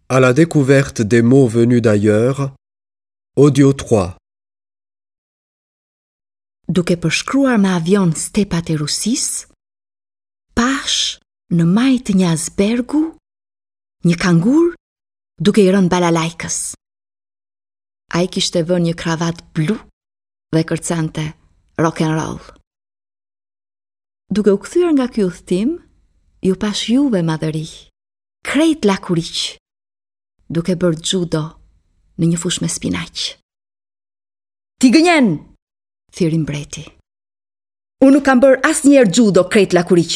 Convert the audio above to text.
À la découverte des mots venus d'ailleurs, audio 3. Duke përshkruar me avion stepat e Rusisë, pashë në majë të një ajsbergu një kangur duke i rënë balalajkës. Ai kishte vënë një kravatë blu dhe kërcente rock and roll. Duke u kthyer nga ky udhëtim, ju pashë juve madhëri. Krejt lakuriq, duke bërë xhudo në një fushë me spinaq. Ti gënjen, thirri mbreti. Unë nuk kam bërë asnjëherë xhudo krejt lakuriq.